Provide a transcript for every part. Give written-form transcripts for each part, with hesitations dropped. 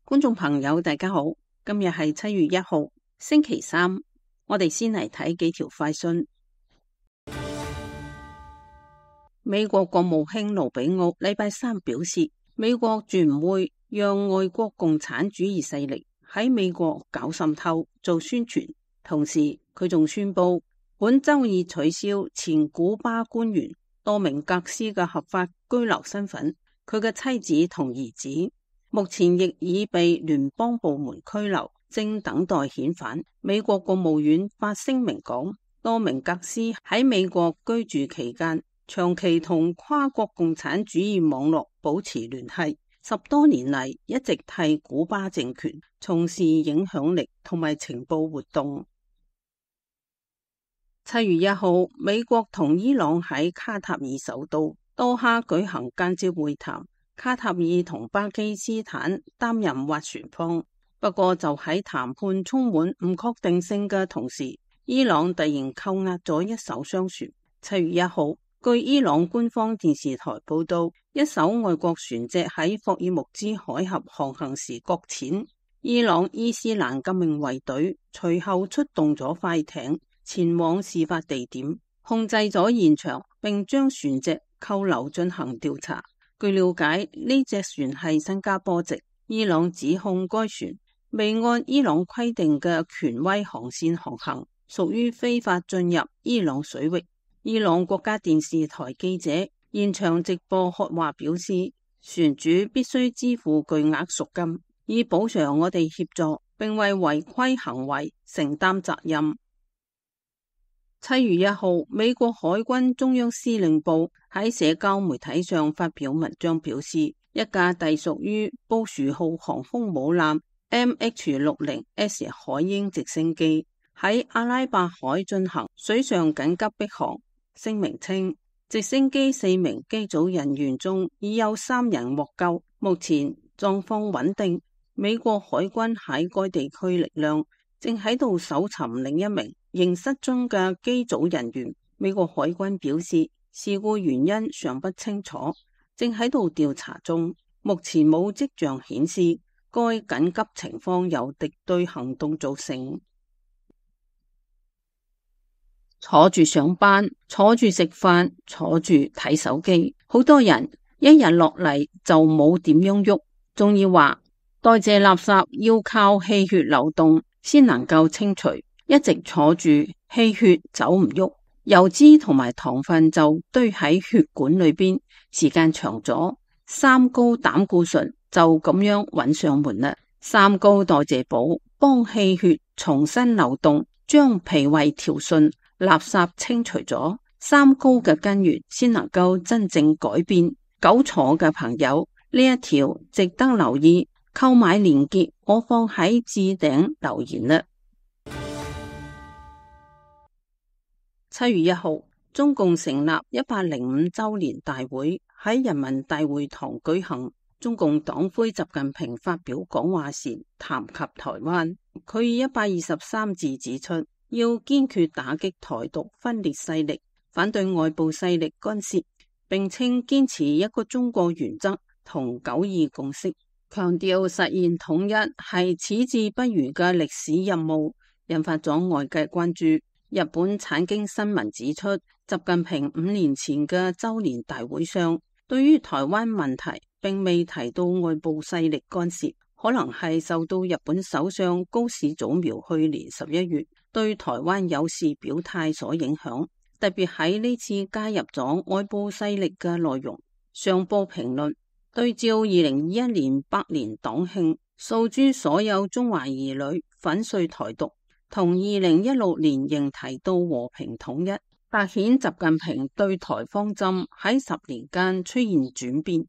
觀眾朋友大家好，今日係7月1號星期三，我哋先嚟睇幾條快訊。美國國務卿盧比奧禮拜三表示，美國絕唔會讓外國共產主義勢力喺美國搞滲透做宣傳。同時佢仲宣布本周已取消前古巴官員多明格斯嘅合法居留身份，佢嘅妻子同兒子目前亦已被聯邦部門拘留，正等待遣返。美國國務院發聲明講，多明格斯喺美國居住期間長期同跨國共產主義網絡保持聯繫，10多年嚟一直替古巴政權從事影響力同埋情報活動。7月1號，美國同伊朗喺卡塔爾首都多哈舉行間接會談，卡塔爾同巴基斯坦擔任斡旋方。不過就喺談判充滿唔確定性嘅同時，伊朗突然扣押咗一艘商船。7月1號，據伊朗官方電視台報道，一艘外國船隻喺霍爾木茲海峽航行時擱淺，伊朗伊斯蘭革命衛隊隨後出動咗快艇前往事發地點，控制咗現場，並將船隻扣留進行調查。據了解，呢隻船係新加坡籍，伊朗指控該船未按伊朗規定嘅權威航線航行，屬於非法進入伊朗水域。伊朗國家電視台記者現場直播喝話表示，船主必須支付巨額贖金，以補償我哋協助，並為違規行為承擔責任。7月1號，美國海軍中央司令部喺社交媒體上發表文章表示，一架隸屬於布殊號航空母艦 MH-60S 海鷹直升機喺阿拉伯海進行水上緊急迫航。聲明稱，直升機4名機組人員中已有3人獲救，目前狀況穩定。美國海軍喺該地區力量正喺度搜尋另一名仍失蹤嘅機組人員。美國海軍表示，事故原因尚不清楚，正喺度調查中，目前冇跡象顯示該緊急情況由敵對行動造成。坐住上班，坐住食飯，坐住睇手機，好多人一日落嚟就冇點樣喐，仲要話代謝垃圾要靠氣血流動先能夠清除，一直坐住氣血走唔喐，油脂同埋糖分就堆喺血管裏邊，時間長咗，三高膽固醇就咁樣揾上門啦。三高代謝補幫氣血重新流動，將脾胃調順，垃圾清除咗，三高嘅根源先能夠真正改變。久坐嘅朋友，呢一條值得留意，購買鏈接我放喺置頂留言啦。7月1號，中共成立105周年大會喺人民大會堂舉行。中共黨魁習近平發表講話時談及台灣，佢以123字指出，要堅決打擊台獨分裂勢力，反對外部勢力干涉，並稱堅持一個中國原則同9·2共識，強調實現統一係矢志不渝嘅歷史任務，引發咗外界關注。日本產經新聞指出，習近平5年前嘅周年大會上，對於台灣問題並未提到外部勢力干涉，可能係受到日本首相高市早苗去年11月對台灣有事表態所影響，特別喺呢次加入咗外部勢力嘅內容。上報評論對照2021年100年黨慶，訴諸所有中華兒女粉碎台獨，同2016年仍提到和平統一，凸顯習近平對台方針喺10年間出現轉變。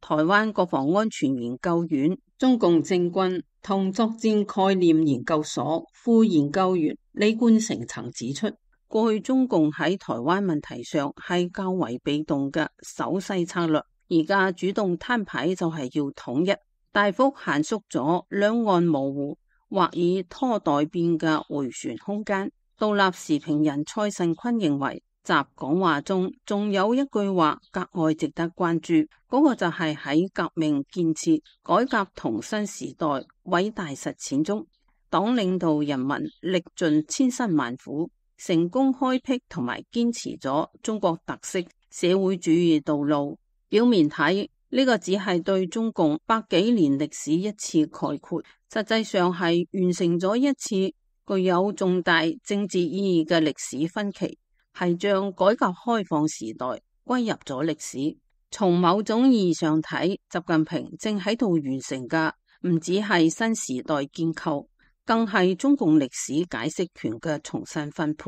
台灣國防安全研究院中共政軍同作戰概念研究所副研究員李冠成曾指出，過去中共喺台灣問題上係較為被動嘅守勢策略，而家主動攤牌就係要統一，大幅限縮咗兩岸模糊或以拖待變嘅迴旋空間。獨立時評人蔡慎坤認為，集講話中仲有一句話格外值得關注，嗰個就係喺革命建設、改革同新時代偉大實踐中，黨領導人民歷盡千辛萬苦，成功開闢同埋堅持咗中國特色社會主義道路。表面睇呢個只係對中共百幾年歷史一次概括，實際上係完成咗一次具有重大政治意義嘅歷史分歧，係將改革開放時代歸入咗歷史。從某種意義上睇，習近平正喺度完成嘅唔只係新時代建構，更係中共歷史解釋權嘅重新分配。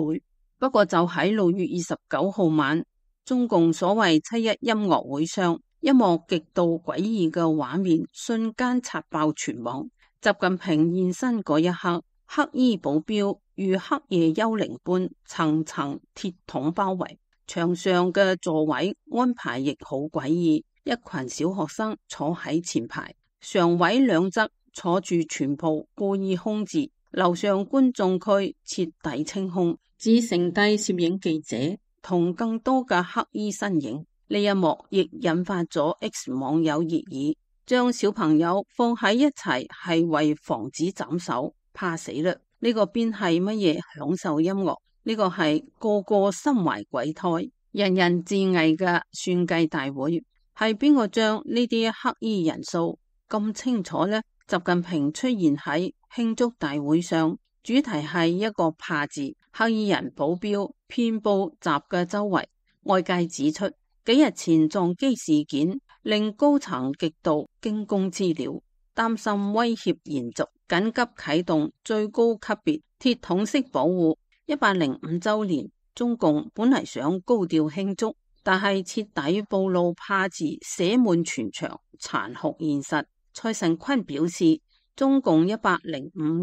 不過就喺6月29號晚，中共所謂7·1音樂會上，一幕極度詭異嘅畫面瞬間刷爆全網。習近平現身嗰一刻，黑衣保鏢如黑夜幽靈般層層鐵桶包圍，牆上嘅座位安排亦好詭異，一群小學生坐喺前排，常委兩側坐住全部故意空置，樓上觀眾區徹底清空，只剩低攝影記者同更多嘅黑衣身影。呢一幕亦引發咗 X 網友熱議，將小朋友放喺一齊係為防止斬首，怕死啦！呢個邊係乜嘢享受音樂？呢個係個個心懷鬼胎、人人自危嘅算計大會。係邊個將呢啲黑衣人數咁清楚呢？習近平出現喺慶祝大會上，主題係一個怕字，黑衣人保鏢遍布集嘅周圍。外界指出，幾日前撞擊事件令高層極度驚弓之鳥，擔心威脅延續，緊急啟動最高級別鐵桶式保護。105週年，中共本嚟想高調慶祝，但係徹底暴露怕字寫滿全場殘酷現實。蔡尚坤表示，中共105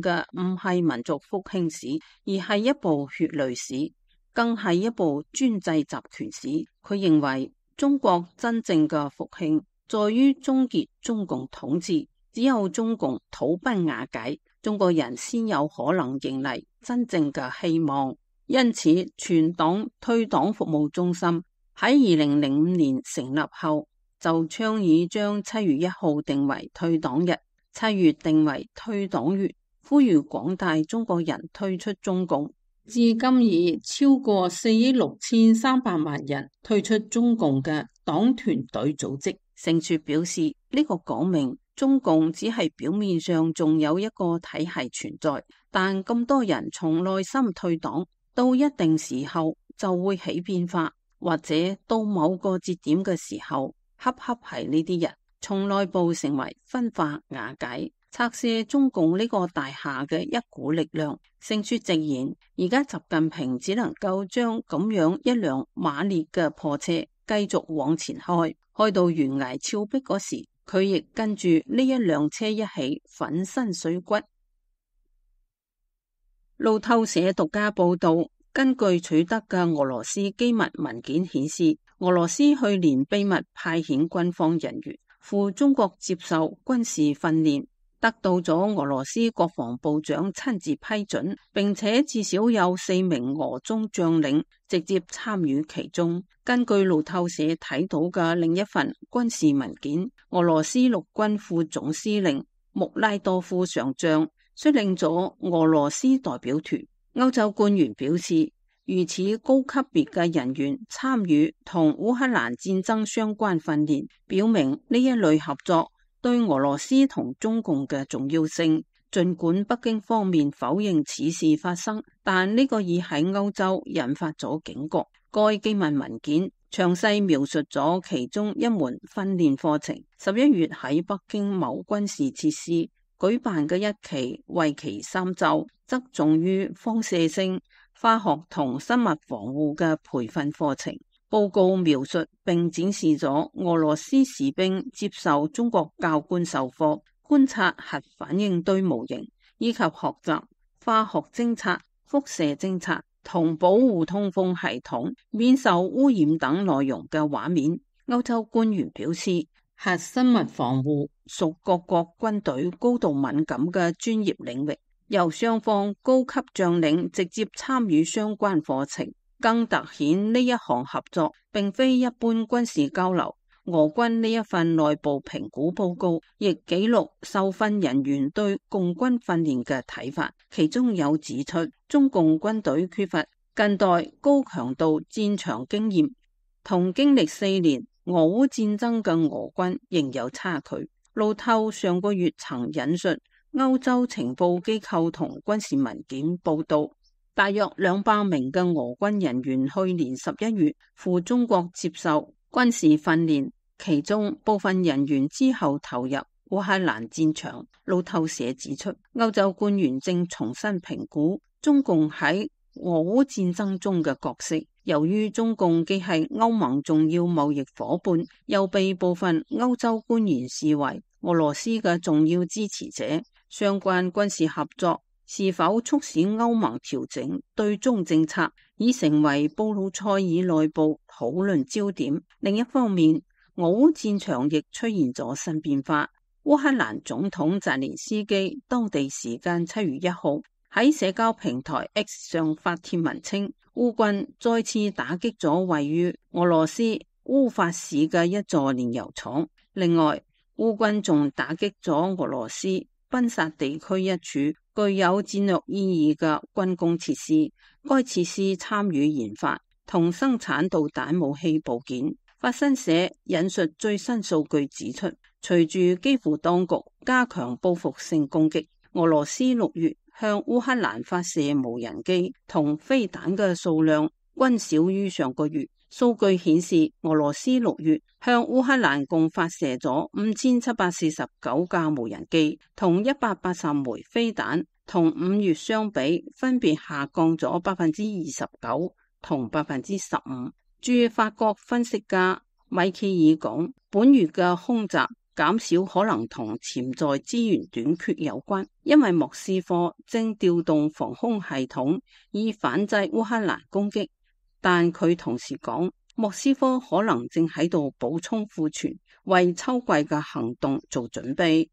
嘅唔係民族復興史，而係一部血淚史，更係一部專制集權史。佢認為中國真正嘅復興在於終結中共統治，只有中共土崩瓦解，中國人先有可能迎嚟真正嘅希望。因此，全黨退黨服務中心喺2005年成立後，就倡議將7月1號定為退黨日，7月定為退黨月，呼籲廣大中國人退出中共。至今已超過4億6300萬人退出中共嘅黨團隊組織。盛雪表示，呢個講明中共只係表面上仲有一個體系存在，但咁多人從內心退黨，到一定時候就會起變化，或者到某個節點嘅時候，恰恰係呢啲人從內部成為分化瓦解，拆卸中共呢個大廈嘅一股力量。盛雪直言，而家習近平只能夠將咁樣一輛馬列嘅破車繼續往前開，開到懸崖峭壁嗰時，佢亦跟住呢一輛車一起粉身碎骨。路透社獨家報道，根據取得嘅俄羅斯機密文件顯示，俄羅斯去年秘密派遣軍方人員赴中國接受軍事訓練，得到咗俄羅斯國防部長親自批准，並且至少有4名俄中將領直接參與其中。根據路透社睇到嘅另一份軍事文件，俄羅斯陸軍副總司令穆拉多夫上將率領咗俄羅斯代表團。歐洲官員表示，如此高級別嘅人員參與同烏克蘭戰爭相關訓練，表明呢一類合作對俄羅斯同中共嘅重要性。盡管北京方面否認此事發生，但呢個已喺歐洲引發咗警覺。該機密文件詳細描述咗其中一門訓練課程，11月喺北京某軍事設施舉辦嘅一期為期3週，側重於放射性、化學同生物防護嘅培訓課程。報告描述並展示咗俄羅斯士兵接受中國教官授課，觀察核反應堆模型，以及學習化學偵察、輻射偵察同保護通風系統免受污染等內容嘅畫面。歐洲官員表示，核生物防護屬各國軍隊高度敏感嘅專業領域，由雙方高級將領直接參與相關課程，更凸顯呢一項合作並非一般軍事交流。俄軍呢一份內部評估報告亦記錄受訓人員對共軍訓練嘅睇法，其中有指出中共軍隊缺乏近代高強度戰場經驗，同經歷4年俄烏戰爭嘅俄軍仍有差距。路透上個月曾引述歐洲情報機構同軍事文件報道，大約200名嘅俄軍人員去年11月赴中國接受軍事訓練，其中部分人員之後投入烏克蘭戰場。路透社指出，歐洲官員正重新評估中共喺俄烏戰爭中嘅角色。由於中共既係歐盟重要貿易夥伴，又被部分歐洲官員視為俄羅斯嘅重要支持者，相關軍事合作是否促使歐盟調整對中政策，已成為布魯塞爾內部討論焦點。另一方面，俄烏戰場亦出現咗新變化。烏克蘭總統澤連斯基當地時間7月1號喺社交平台 X 上發帖文稱，烏軍再次打擊咗位於俄羅斯烏法市嘅一座煉油廠。另外，烏軍仲打擊咗俄羅斯賓薩地區一處具有戰略意義嘅軍工設施，該設施參與研發同生產導彈武器部件。法新社引述最新數據指出，隨住基輔當局加強報復性攻擊，俄羅斯6月向烏克蘭發射無人機同飛彈嘅數量均少於上個月。數據顯示，俄羅斯6月向烏克蘭共發射咗5749架無人機同180枚飛彈，同5月相比分別下降咗29%同15%。駐法國分析家米歇爾講，本月嘅空襲減少可能同潛在資源短缺有關，因為莫斯科正調動防空系統以反制烏克蘭攻擊。但佢同時講，莫斯科可能正喺度補充庫存，為秋季嘅行動做準備。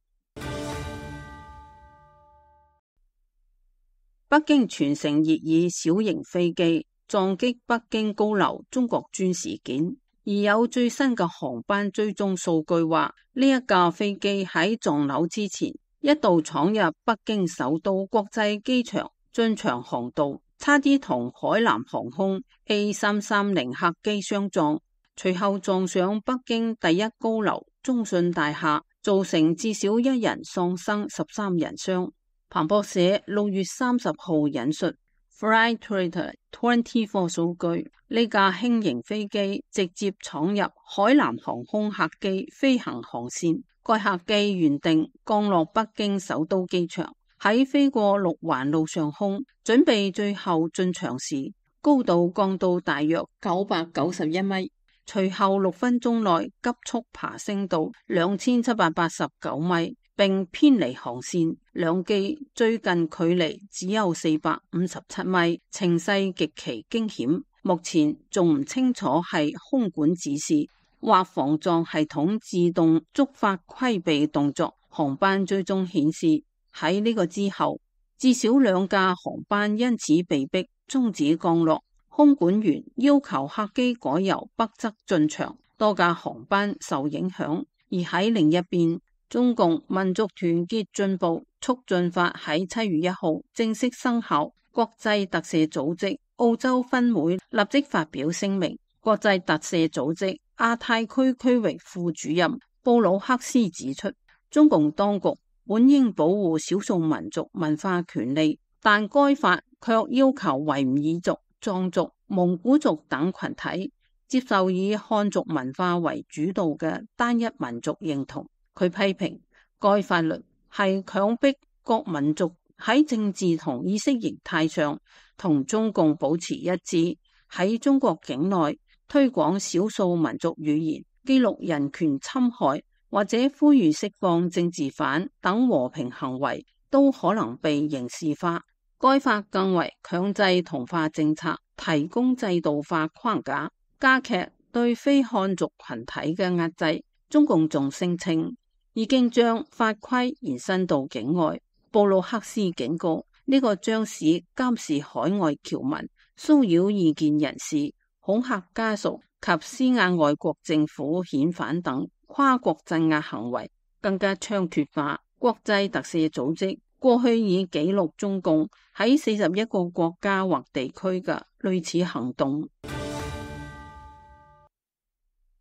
北京全城熱議小型飛機撞擊北京高樓中國專事件，而有最新嘅航班追蹤數據話，呢一架飛機喺撞樓之前一度闖入北京首都國際機場進場航道，差啲同海南航空 A330 客機相撞，隨後撞上北京第一高樓中信大廈，造成至少1人喪生，13人傷。彭博社6月30號引述 Flightradar24 數據，呢架輕型飛機直接闖入海南航空客機飛行航線，該客機原定降落北京首都機場，喺飛過六環路上空，準備最後進場時，高度降到大約991米，隨後6分鐘內急速爬升到2789米，並偏離航線，兩機最近距離只有457米，情勢極其驚險。目前仲唔清楚係空管指示或防撞系統自動觸發規避動作。航班追蹤顯示，喺呢個之後，至少2架航班因此被迫終止降落，空管員要求客機改由北側進場，多架航班受影響。而喺另一邊，中共民族團結進步促進法喺7月1號正式生效，國際特赦組織澳洲分會立即發表聲明。國際特赦組織亞太區區域副主任布魯克斯指出，中共當局本應保護少數民族文化權利，但該法卻要求維吾爾族、藏族、蒙古族等群體接受以漢族文化為主導嘅單一民族認同。佢批評該法律係強迫各民族喺政治同意識形態上同中共保持一致，喺中國境內推廣少數民族語言、記錄人權侵害或者呼籲釋放政治犯等和平行為都可能被刑事化。該法更為強制同化政策提供制度化框架，加劇對非漢族群體嘅壓制。中共仲聲稱已經將法規延伸到境外。布魯克斯警告，呢個將使監視海外僑民騷擾異見人士、恐嚇家屬及施壓外國政府遣返等跨國鎮壓行為更加猖獗化。國際特赦組織過去已記錄中共喺41個國家或地區嘅類似行動。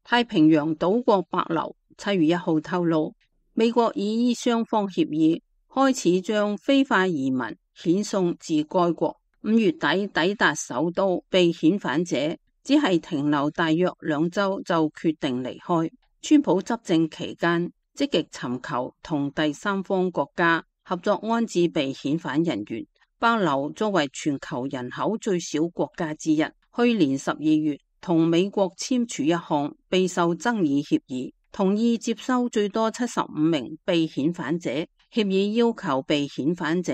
太平洋島國帛琉7月1號透露，美國已依雙方協議開始將非法移民遣送至該國。5月底抵達首都被遣返者只係停留大約2週就決定離開。川普執政期間積極尋求同第三方國家合作安置被遣返人員。帛琉作為全球人口最少國家之一，去年12月同美國簽署一項備受爭議協議，同意接收最多75名被遣返者。協議要求被遣返者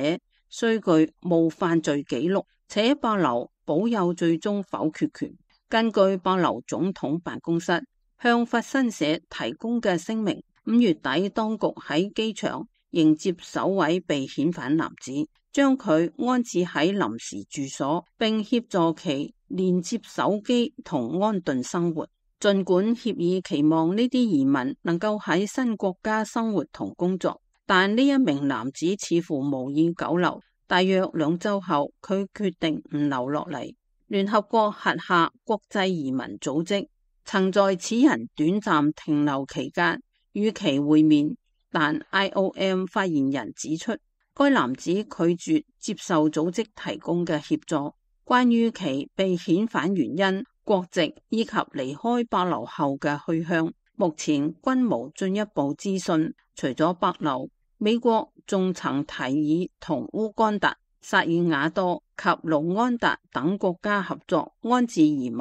須具無犯罪記錄，且帛琉保有最終否決權。根據帛琉總統辦公室向法新社提供嘅聲明，5月底當局喺機場迎接首位被遣返男子，將佢安置喺臨時住所，並協助其連接手機同安頓生活。儘管協議期望呢啲移民能夠喺新國家生活同工作，但呢一名男子似乎無意久留。大約2週後，佢決定唔留落嚟。聯合國轄下國際移民組織曾在此人短暫停留期間與其會面，但 IOM 發言人指出，該男子拒絕接受組織提供嘅協助。關於其被遣返原因、國籍以及離開帛琉後嘅去向，目前均無進一步資訊。除咗帛琉，美國仲曾提議同烏干達、薩爾瓦多及盧安達等國家合作安置移民。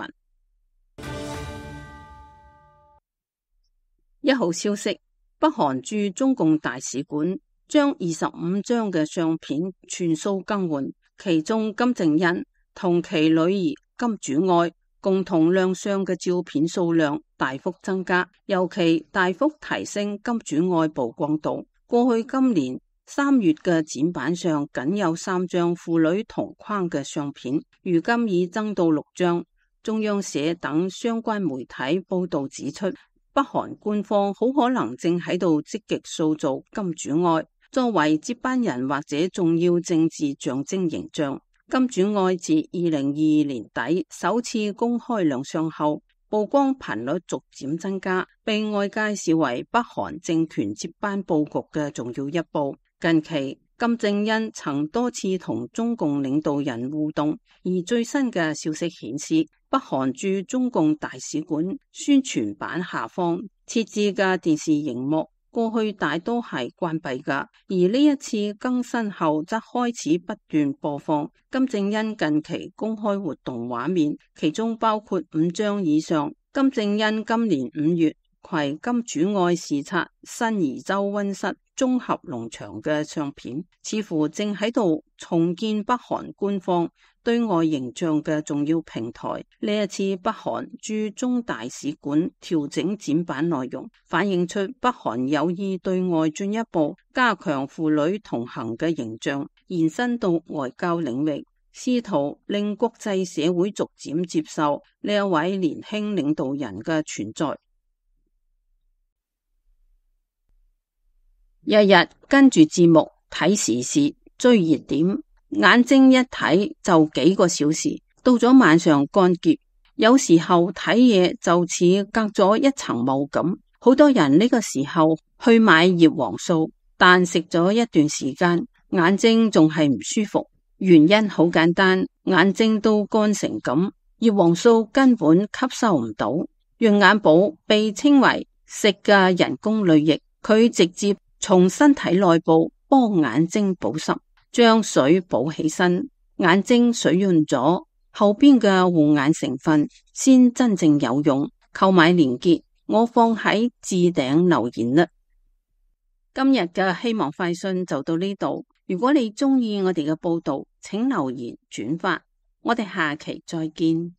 1號消息，北韓駐中共大使館將25張嘅相片全數更換，其中金正恩同其女兒金主愛共同亮相嘅照片數量大幅增加，尤其大幅提升金主愛曝光度。過去今年3月嘅展板上僅有3張父女同框嘅相片，如今已增到6張。中央社等相關媒體報道指出，北韓官方好可能正喺度積極塑造金主愛作為接班人或者重要政治象徵形象。金主愛自2022年底首次公開亮相後，曝光頻率逐漸增加，被外界視為北韓政權接班佈局嘅重要一步。近期金正恩曾多次同中共領導人互動，而最新嘅消息顯示，北韓駐中共大使館宣傳板下方設置嘅電視熒幕過去大多係關閉㗎，而呢一次更新後則開始不斷播放金正恩近期公開活動畫面，其中包括5張以上金正恩今年5月攜金主愛視察新宜州溫室綜合農場嘅相片，似乎正喺度重建北韓官方對外形象嘅重要平台。呢一次北韓駐中大使館調整展板內容，反映出北韓有意對外進一步加強父女同行嘅形象，延伸到外交領域，試圖令國際社會逐漸接受呢一位年輕領導人嘅存在。日日跟住節目睇時事追熱點，眼睛一睇就幾個小時，到咗晚上乾澀，有時候睇嘢就似隔咗一層霧咁。好多人呢個時候去買葉黃素，但食咗一段時間，眼睛仲係唔舒服。原因好簡單，眼睛都乾成咁，葉黃素根本吸收唔到。潤眼寶被稱為食嘅人工淚液，佢直接從身體內部幫眼睛保濕，將水補起身，眼睛水潤咗，後邊嘅護眼成分先真正有用。購買鏈接我放喺置頂留言啦。今日嘅希望快訊就到呢度，如果你中意我哋嘅報道，請留言轉發，我哋下期再見。